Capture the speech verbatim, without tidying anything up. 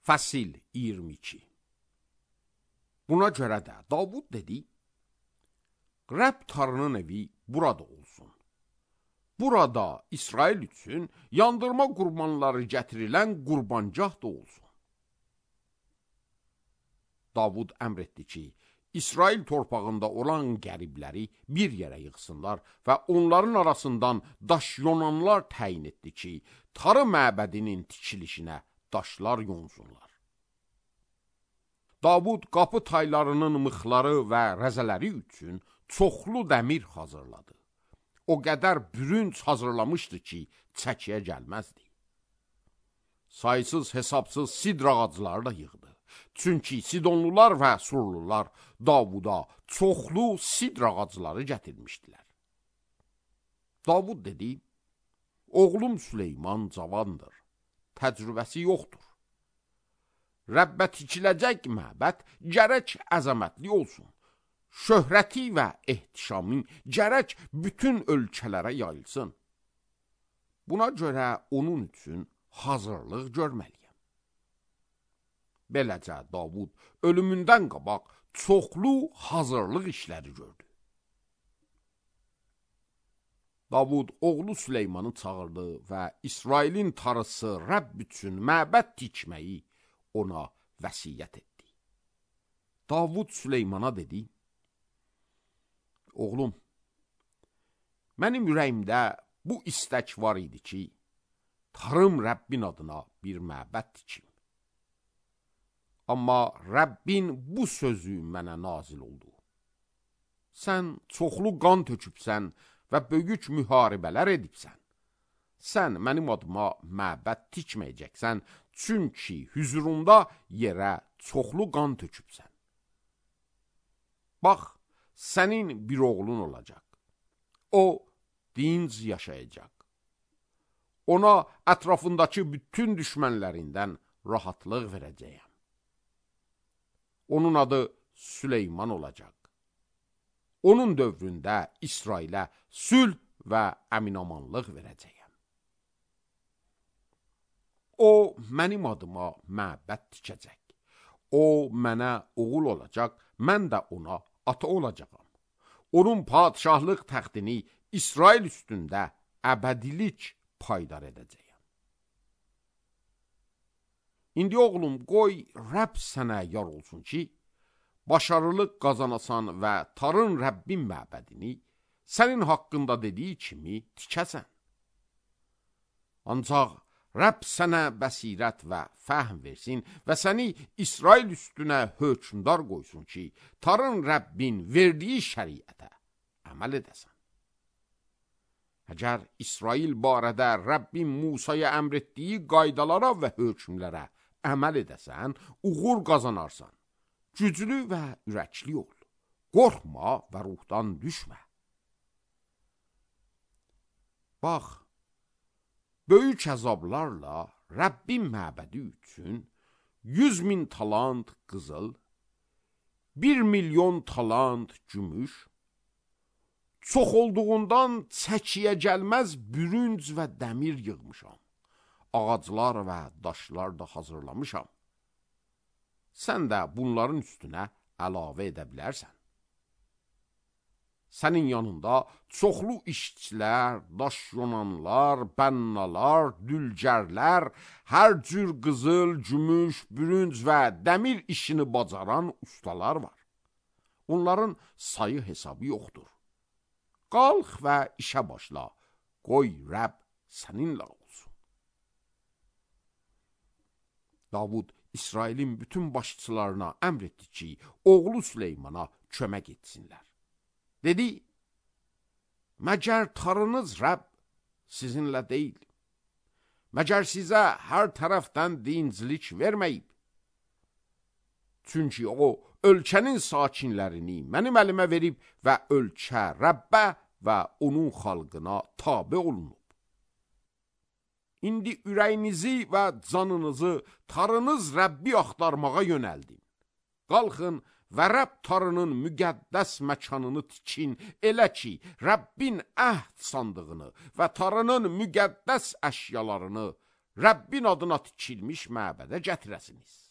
Fəsil iyirmi iki. Buna görə də Davud dedi, Rəbb Tanrının evi burada olsun. Burada İsrail üçün yandırma qurbanları gətirilən qurbancah da olsun. Davud əmr etdi ki, İsrail torpağında olan qəribləri bir yerə yığsınlar və onların arasından daş yonanlar təyin etdi ki, Tarı məbədinin tikilişinə daşlar yonsunlar. Davud qapı taylarının mıxları və rəzələri üçün çoxlu dəmir hazırladı. O qədər bürünc hazırlamışdı ki, çəkiyə gəlməzdi. Saysız hesabsız sidr ağacları da yığdı. Çünki Sidonlular və Surlular Davuda çoxlu sidr ağacları gətirmişdilər. Davud dedi, oğlum Süleyman cavandır, təcrübəsi yoxdur. Rəbbə tikiləcək məbəd gərək əzəmətli olsun. Şöhrəti və ehtişamı gərək bütün ölkələrə yayılsın. Buna görə onun üçün hazırlıq görməliyəm. Beləcə Davud ölümündən qabaq çoxlu hazırlıq işləri gördü. Davud oğlu Süleymanı çağırdı və İsrailin tarısı Rəbb üçün məbəd tikməyi ona vəsiyyət etdi. Davud Süleymana dedi, oğlum, mənim ürəyimdə bu istək var idi ki, Tarım Rəbbin adına bir məbəd tikim. Amma Rəbbin bu sözü mənə nazil oldu. Sən çoxlu qan tökübsən və böyük müharibələr edibsən. Sən mənim adıma məbəd tikməyəcəksən, çünki hüzurunda yerə çoxlu qan tökübsən. Bax, sənin bir oğlun olacaq. O, dinc yaşayacaq. Ona ətrafındakı bütün düşmənlərindən rahatlıq verəcəyəm. Onun adı Süleyman olacaq. Onun dövründə İsrailə sülh və əminamanlıq verəcəyəm. O, mənim adıma məbəd tikəcək. O, mənə oğul olacaq, mən də ona ata olacağam. Onun padişahlıq təxtini İsrail üstündə əbədilik paydar edəcəyəm. İndi oğlum, qoy Rəbb sənə yar olsun ki, başarılıq qazanasan və Tarın Rəbbin məbədini sənin haqqında dediyi kimi tikəsən. Ancaq Rəbb sənə bəsirət və fəhm versin və səni İsrail üstünə hökmdar qoysun ki, Tarın Rəbbin verdiyi şəriətə əməl edəsən. Əgər İsrail barədə Rəbbin Musaya əmr etdiyi qaydalara və hökmlərə əməl edəsən, uğur qazanarsan. Güclü və ürəkli ol. Qorxma və ruhdan düşmə. Bax, böyük əzablarla Rəbbin məbədi üçün yüz min talant qızıl, bir milyon talant gümüş, çox olduğundan çəkiyə gəlməz bürünc və dəmir yığmışam. Ağaclar və daşlar da hazırlamışam. Sən də bunların üstünə əlavə edə bilərsən. Sənin yanında çoxlu işçilər, daş yonanlar, bənnalar, dülgərlər, hər cür qızıl, gümüş, bürünc və dəmir işini bacaran ustalar var. Onların sayı hesabı yoxdur. Qalx və işə başla, qoy Rəbb səninlə olsun. Davud İsrailin bütün başçılarına əmr etdi ki, oğlu Süleymana kömək etsinlər. Dedi, məgər Tarınız Rəbb sizinlə deyil? Məgər sizə hər tərəfdən dinclik verməyib? Çünki o, ölkənin sakinlərini mənim əlimə verib və ölkə Rəbbə və onun xalqına tabe olunub. İndi ürəyinizi və canınızı Tarınız Rəbbi axtarmağa yönəldin. Qalxın və Rəbb Tarının müqəddəs məkanını tikin, elə ki, Rəbbin əhd sandığını və Tarının müqəddəs əşyalarını Rəbbin adına tikilmiş məbədə gətirəsiniz.